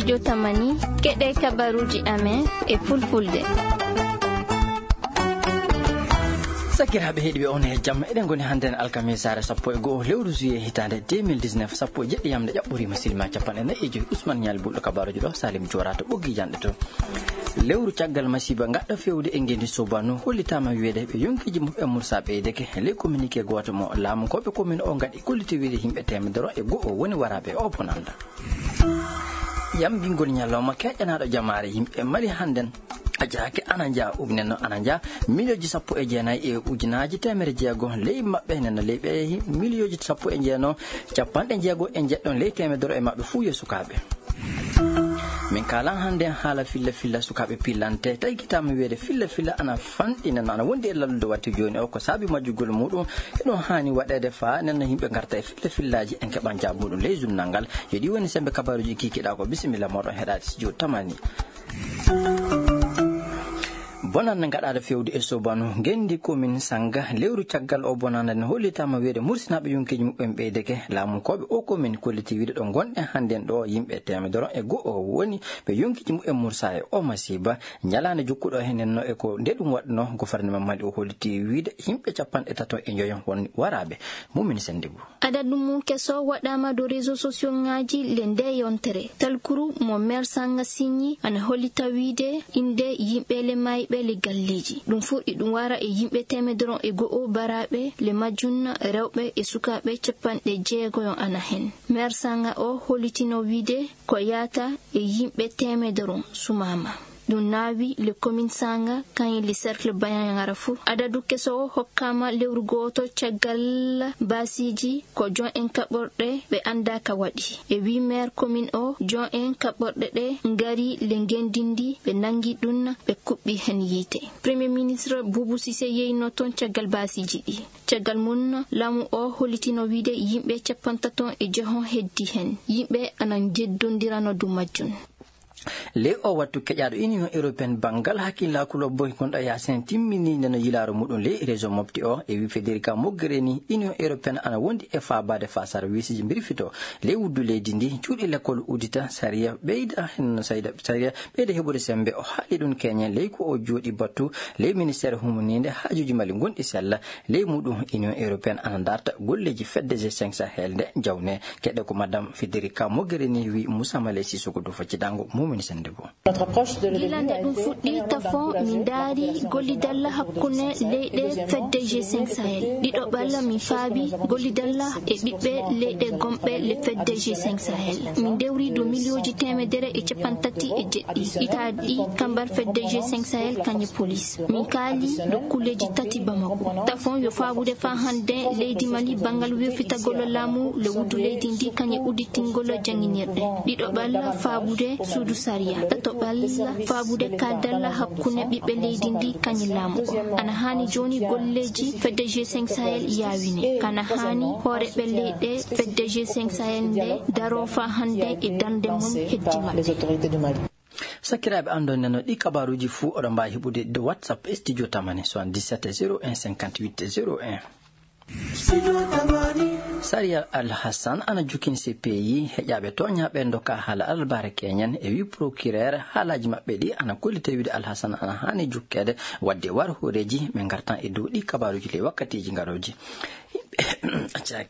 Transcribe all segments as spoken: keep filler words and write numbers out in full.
Jotamani, keɗe kabaruji amen e fulfulde. Sakiraaɓe heɗiɓe, on he jamma. Eɗen ngoni hannde e alkamisaare sappo e go'o lewru juillet hitaande deux mille dix-neuf, sappo e jeɗɗi yamde ƴaɓɓoriima, silma capanɗe nayi e joy. Ousmane Ñaali Bulɗo kabaruji ɗo, Salim Joora to ɓoggi janɗe to. Lewru caggal masiiba ngaɗɗo fewde e ngendi Sobanu hollitaama wiyeede ɓe yonkiiji mum e mursa ɓeydeke. Ley communiqué gooto mo laamu koɓe commune o ngaɗi kolliti wiide yimɓe teemedere e go'o woni waraaɓe o bonanda. Yambingol ñalawma keƴanaaɗo jamaare yimɓe Mali hannden a jaake ana njaa ubnen no ana njaa miliyooji sappo e jeenayi e ujunaaji teemere jeego ley maɓɓe nena ley ɓe miliyooji sappo e jeenayi capanɗe jeego e jeɗɗon ley teemedere e maɓɓe fuu yo sukaaɓe. Min kaalan hannde haala filla filla sukaaɓe pillante, taykitaama wiyeede filla filla ana fanɗi, nen ana wondi e lallude watte jooni o. Ko saabi majjugol muuɗum, eɗum haani waɗeede faa nen no yimɓe ngarta e filla fillaaji, en keɓan jaabu muuɗum ley journal ngal. Yo ɗi woni sembe kabaruuji kiikiɗaa ko. Bisimilla mooɗon heɗaade studio tamani. Bonannde ngaɗaaɗo fewde e Sobanu, ngenndi commune Sannga, lewru caggal o bonannde ne hollitaama wiyeede mursinaaɓe yonkiiji muɓɓen ɓeydeke. Laamunkooɓe o commune kolliti wiide ɗo ngonɗen hannden ɗo, yimɓe teemedere e go'o woni ɓe yonkiiji muɓɓen mursa e o masiiba. Ñalaande jokkuɗo henen no e ko nde ɗum waɗno, gouvernement Mali o holliti wiide yimɓe capanɗe tato e njoyo won waraaɓe. Mumini Sennde Boo. Adadu mum keso waɗaama dow réseaux sociaux ŋaaji le nde yontere. Talkuru mo maire Sannga Sinyi ana hollita wiide innde yimɓe le maayɓe le galleeji. Ɗum fuɗɗi ɗum wara e yimɓe teemedere e go'o baraaɓe le majjum rewɓe e sukaaɓe capanɗe jeegoyo ana hen. Maire Sannga o hollitino wiide ko yaata e yimɓe teemedere sumaama. Ɗum naawi le commune Sannga, kañum le cercle Bayaŋara fuu. Adadu keso o hokkaama lewru gooto caggal baasiiji ko jon en kaɓorɗe ɓe anndaa ka waɗi. E wii maire commune o, jon en kaɓorɗe ɗe ngari le ngenndi ndi, ɓe nanngi ɗum, ɓe kuɓɓi hen yiite. Premier ministre Boubou Cissé yeynoo toon caggal baasiiji ɗi. Caggal mum, laamu o hollitino wiide yimɓe capantato e joho heddi hen. Yimɓe ana njeddondira noddu majjum. Ley o wattu keƴaaɗo Union Européenne banngal hakkillaaku lobbo gonɗo yaasin timmini nde no yilaaro muɗum ley région Mopti o. E wi Federica Mogherini, Union Européenne ana wondi e faabaade faa sarwiisiji mbirfito ley wuddu leydi ndi, cuuɗi lekkol uddita, sariya ɓeyda, hen no sayda, sariya ɓeyda heɓude sembe. O haali ɗum keñen ley ko o jooɗi battu ley ministère humniinde haajuuji Mali gonɗi sella. Ley muɗum, Union Européenne ana darta golleeji fedde G cinq Sahel nde jawne. Keɗe ko Madame Federica Mogherini wi Moussa Malé Sissoko Dou faccitango Mumini Sennde Boo. Gila nde ɗum fuɗɗi tafon, min ndaari gollidalla hakkunde leyɗe fedde G cinq Sahel. Ɗiɗo ɓalla min faabi gollidalla e ɓiɓɓe leyɗe gomɓe le fedde G cinq Sahel. Min ndewri dow miliyooji teemedere e capantati e jeɗɗi. Itaaɗi kambar fedde G cinq Sahel kañe police. Min kaali dow kulleeji tati Bamako. Tafon yo faabude faa hannde leydi Mali banngal weefitagol laamu le wuddu leydi ndi kañe udditingol jannginirɗe. Ɗiɗo ɓalla faabude suudu sariya. Tato ɓalla faabude kaaldalla hakkunde ɓiɓɓe leydi ndi kañe laamu o. Ana haani jooni golleeji fedde G cinq Sahel yaawine. Kana haani hooreeɓe leyɗe fedde G cinq Sahel nde daroo faa hannde e darnde mum heddi maɓɓe. Sakiraaɓe, anndon neno ɗi kabaruuji fuu oɗon mbaawi heɓude dow WhatsApp studio tamani soixante-dix-sept zéro un cinquante-huit zéro un. Sariya Alhassan ana jukkin C P I heƴaaɓe tooñaaɓe ndoka haala alalbaare keñen e wi procureur haalaaji maɓɓe ɗi ana kollita wiide Alhassan ana haani jukkeede waɗde war hooreeji. Min ngartan e dow ɗi kabaruuji ley wakkatiiji ngarooji. Yimɓe, accaa,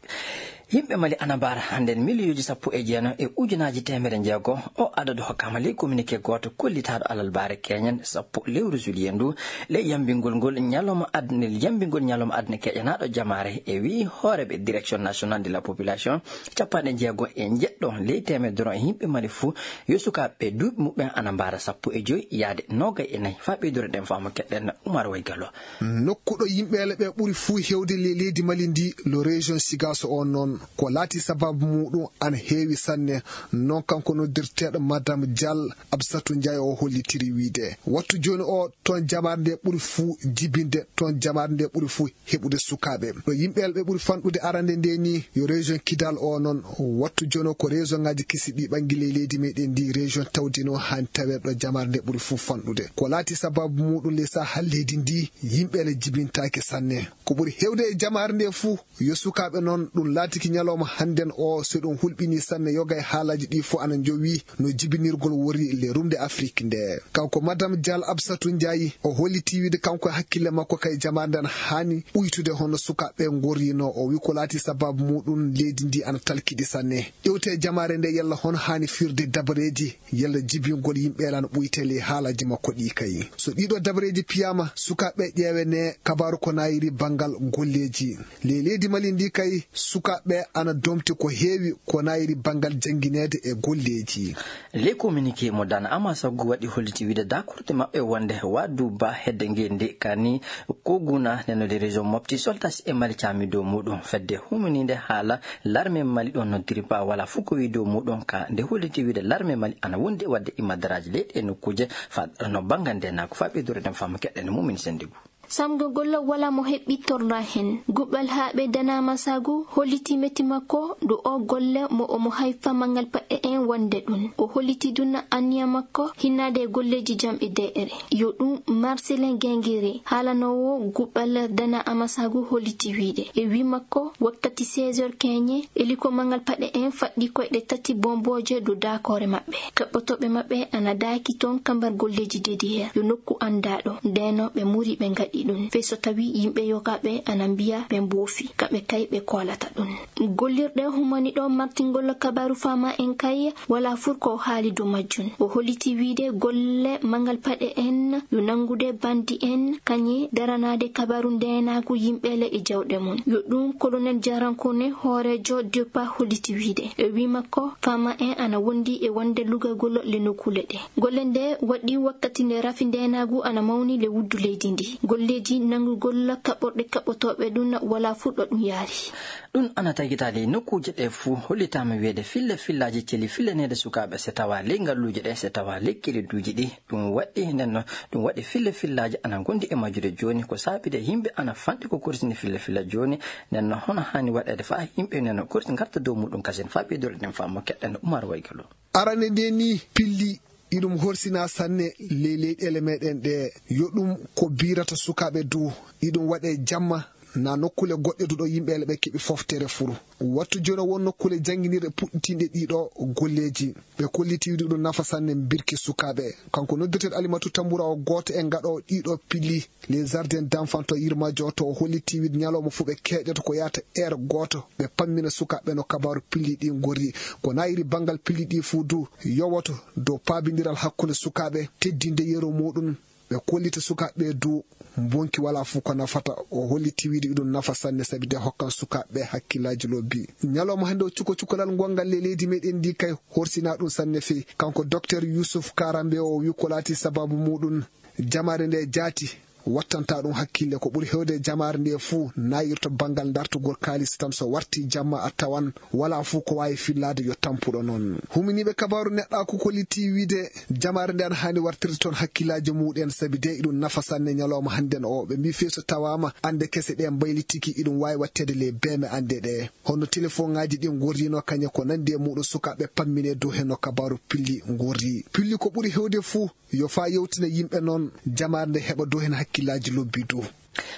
yimɓe Mali ana mbaara hannden miliyooji sappo e jeenayi e ujunaaji teemedde jeego. O adadu hokkaama ley communiqué gooto kollitaaɗo alalbaare keñen sappo lewru juillet ndu, ley yambingol ngol ñalawma aduna, yambingol ñalawma aduna keƴanaaɗo jamaare, e wii hooreeɓe Direction Nationale de la Population, capanɗe jeego e jeɗɗo ley teemedde e yimɓe Mali fuu, yo sukaaɓe duuɓi muɓɓen ana mbaara sappo e joy yaade noogay e nayi. Faa ɓeyduren ɗen faamu keɗen Umar Waygalo. Nokku ɗo yimɓeele ɓe ɓuri fuu heewde ley leydi Mali ndi, lo région Sigaso o noon, ko laati sababu muuɗum ana heewi sanne. Noon kanko noddirteeɗo Madame Dial, Absatou Ndiaye o hollitiri wiide, wattu jooni o, toon jamaare nde ɓuri fuu jibinde, toon jamaare nde ɓuri fuu heɓude sukaaɓe. Ɗo yimɓeele ɓe ɓuri fanɗude arande nde ni, yo région Kidal o noon, wattu jooni o ko région ŋaaji kesi ɗi ɓangi ley leydi meɗen ndi, région tawde no haani taweede ɗo jamaare nde ɓuri fuu fanɗude. Ko laati sababu muuɗum ley sahaa leydi ndi, yimɓeele jibintaake sanne. Ko ɓuri heewde e jamaare nde fuu, Sukaaɓe noon, ɗum laatiki ñalawma hannden o, so ɗum hulɓinii sanne, yoga e haalaaji ɗi fof ana njowi no jibinirgol wori le rumde Afrik nde. Kanko Madame Dial Absatou Ndiaye, o holliti wiide kanko e hakkille makko kay jamaare nde ana haani ɓuytude hono sukaaɓe ngorrino. O wi ko laati sabaabu muɗum leydi ndi ana talkiɗi sanne. Ƴewte jamaare nde yalla hono haani firde dabareeji yalla jibingol yimɓe lan ɓuytele haalaaji makko ɗi kay. So ɗiɗo dabareeji piyaama, sukaaɓe ƴeewene kabaaru ko naayiri banngal golleeji. Ley leydi Mali ndi kay, sukaaɓe ana domti ko heewi ko naayiri banngal janngineede e golleeji. Ley communiqué mo Dana Amasagu waɗi holliti wiide dakorde maɓɓe wonde Wadu Ba hedde ngendi kani ko guna neno de région Mopti soltasi e Mali caami dow muɗum. Fedde humininde haala larme Mali ɗon noddiri ba wala fof ko wi dow muɗum ka nde holliti wiide larme Mali ana wondi e waɗde imadaraaji leyɗe e nokkuuje fa no banngal nde na ko faɓi dore ɗen faamu keɗɗen mumin sendigu. Samgol golla wala mo heɓɓi torra heen. Guɓɓal haaɓe Dana Amasagu holliti metti makko ɗo o golle mo omo hayfa manngal paɗɗe en wonde ɗum. O holliti ɗum anniya makko hinnaade e golleeji jam e de'ere. Yo ɗum Marcelin Gengiri, haalanoowo guɓɓal Dana Amasagu holliti wiide. E wi makko, wakkati seize heures keñe, eliko manngal paɗɗe en faɗɗi koyɗe tati bombooje ɗo daakoore maɓɓe. Kaɓɓotooɓe maɓɓe ana daaki toon kambar golleeji dedi her. Yo nokku anndaaɗo. Ndeno ɓe muri ɓe ngaɗi ɗum. Fey so tawi yimɓe yogaaɓe ana mbiya ɓe mboofi. Kaɓe kay ɓe koolata ɗum. Gollirɗe humani ɗo martingol kabaru fama en kay wala fur ko haali dow majjum. O holliti wiide golle manngal paɗe en yo nanngude bandi en kañe daranaade kabaru ndeenaagu yimɓeele e jawɗe mum. Yo ɗum Colonel Jarankone hooreejo DEPA holliti wiide. E wi makko, fama en ana wondi e wonde lugagol le nokkuule ɗe. Golle nde waɗi wakkati nde rafi ndeenaagu ana mawni le wuddu leydi ndi. Golleeji nanngugol kaɓɓorɗe kaɓɓotooɓe ɗum wala fur ɗo ɗum yaari. Ɗum ana tagita ley nokkuuje ɗe fuu, hollitaama wiyeede fille fillaaji celi filleneede sukaaɓe, so tawa ley ngalluuje ɗe, so tawa ley kereduuji ɗi. Ɗum waɗi nden no, ɗum waɗi fille fillaaji ana ngondi e majjude jooni, ko saabide yimɓe ana fanɗi ko korsini fille filla jooni. Nden no, hono haani waɗeede faa yimɓe nden no korsi ngarta dow muɗum kasen faa ɓeydore ɗen faa mo keɗɗen Umar Waygalo. Arande nde ni pilli iɗum horsina sanne ley leyɗeele meɗen ɗe. Yo ɗum ko birata sukaaɓe du, iɗum waɗe jamma na nokkuule goɗɗe du ɗo yimɓe ele ɓe keɓi foftere furu. Wattu jooni o won nokkuule jannginirɗe puɗɗitinɗe ɗiɗo golleeji. Ɓe kolliti wiide ɗum nafa sanne mbirki sukaaɓe. Kanko noddirteeɗo Alimatu Tambura o gooto e ngaɗoowo ɗiɗo pilli. Les jardins d'enfants to Yirma Joto o holliti wiide ñalawma fof ɓe keeƴoto ko yahata heure gooto ɓe pammina sukaaɓe no kabaaru pilli ɗi ngorri. Ko nayiri banngal pilli ɗi fuu du yowoto dow paabindiral hakkunde sukaaɓe, teddinde yeru muɗum, ɓe kollita sukaaɓe du mbonki wala fuu ko nafata. O holliti wiide iɗum nafa sanne sabi de hokkan sukaaɓe hakkillaaji lobbi. Ñalawma hannde o cukko cukkolal ngongal le leydi meɗen ndi kay horsina ɗum sanne fey. Kanko Docteur Youssouf Karambe o wi ko laati sababu muɗum jamaare nde jaati wattanta ɗum hakkille. Ko ɓuri heewde jamaare nde fuu nayirto banngal dartugol kaalis tan, so warti jamma a tawan wala fuu ko waawi fillaade yo tampuɗo noon. Huminiiɓe kabaaru neɗɗaaku kolliti wiide jamaare nde ana haani wartirde toon hakkillaaji muɗen sabi de iɗum nafa sanne ñalawma hannden o. Ɓe mbii fey so tawaama annde kese ɗe mbaylitiki iɗum waawi watteede le beeme annde ɗe. Hono telefoŋaaji ɗi ngorrino kañe ko nanndi e muɗum sukaaɓe pammine dow heno kabaaru pilli ngorri. Pilli ko ɓuri heewde fuu yo faa yewtina yimɓe noon jamaare nde heɓa dow heen hakkillaaji lobbi du.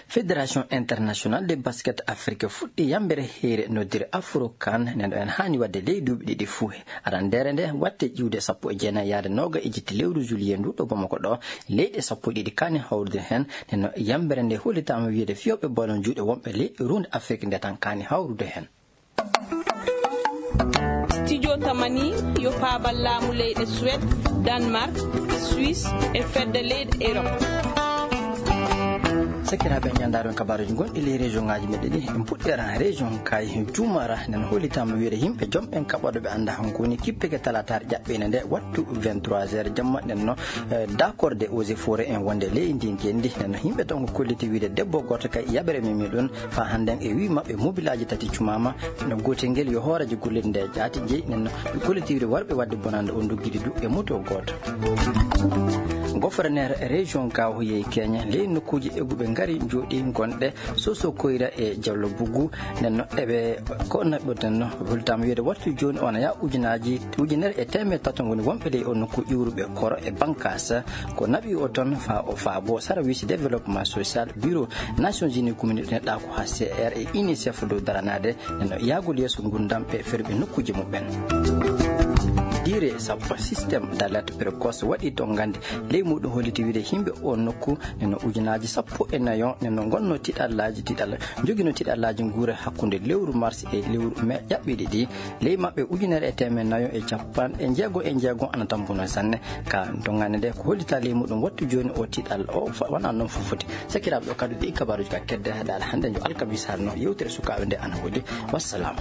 Fédération Internationale de Basket Afrique fuɗɗi yambere heyre noddire Afro Can, nden ɗo en haani waɗde ley duuɓi ɗiɗi fuu. Arandeere nde watte ƴiwde sappo e jeenayi yaade nooga e jitti lewru juillet ndu ɗo Bamako ɗo. Leyɗe sappo e ɗiɗi kaani hawrude heen. Nden no yambere nde hollitaama wiyeede fiyooɓe ballon juuɗe wonɓe ley runde Afrik nde tan kaani hawrude heen. Studio Tamani yo paabal laamu leyɗe Suède, Danemark, Suisse e fedde leyɗe Europe. Sakiraaɓe, ñanndaaro en kabaaruuji gonɗi ley région ŋaaji meɗen ɗi, en puɗɗera région Kay Jumara, nen hollitaama wiyeede yimɓe joom en kaɓooɗo ɓe annda hanko woni kippeke talataare ƴaɓɓeende nde wattu vingt-trois heures jamma. Nen no, eh, d'accord de eaux et forêts en wonde ley ndi ngenndi. Nen no yimɓe ton ko kolliti wiyeede debbo gooto kay yaɓere memi ɗum. Faa hannden e wii maɓɓe mobilaaji tati cumaama, no gootel ngel yo hooreejo gollirde nde jaati jeyi, nen no ɓe kollitiiɓe warɓe waɗde bonannde o ndoggiri du e moto gooto. Gouverneur région Gao yehi Kenya ley nokkuuji egguɓe Ari jooɗi gonɗe Soso Koyra e Jallo Bugu. Nden no eɓe ko naɓɓoten no, hultam wiide wattu jooni on ya ujunaaji, ujunere e teemeɗe tato ngoni wonɓe ley o nokku iwruɓe koro e bankas. Ko naɓi o toon fa o faabo Service Développement Social, Bureau Nations Unies Communauté Neɗɗaaku, H C R, e UNICEF dow daranaade nden no yahgol yeeso ngurndam e ferɓe nokkuuji muɓɓen. Dire sappo système d'alerte précoce waɗi to ngandi ley muɗum holliti wiide yimɓe o nokku nden no ujunaaji sappo e nayo nden no ngonno tiɗallaaji tiɗal, njogino tiɗallaaji nguure hakkunde lewru mars e lewru mai ƴaɓɓiɗi ɗi. Ley maɓɓe ujunere e teemeɗe nayo e capanɗe jeego e jeego ana tambuno sanne. Ka dongande nde ko hollita ley muɗum wattu jooni o tiɗal o fa- wona noon fof foti. Sakiraaɓe, ɗo kadi ɗi kabaruuji ka kedde haɗaɗa hannde njo alkamisa no yewtere sukaaɓe nde ana wodi. Wassalam.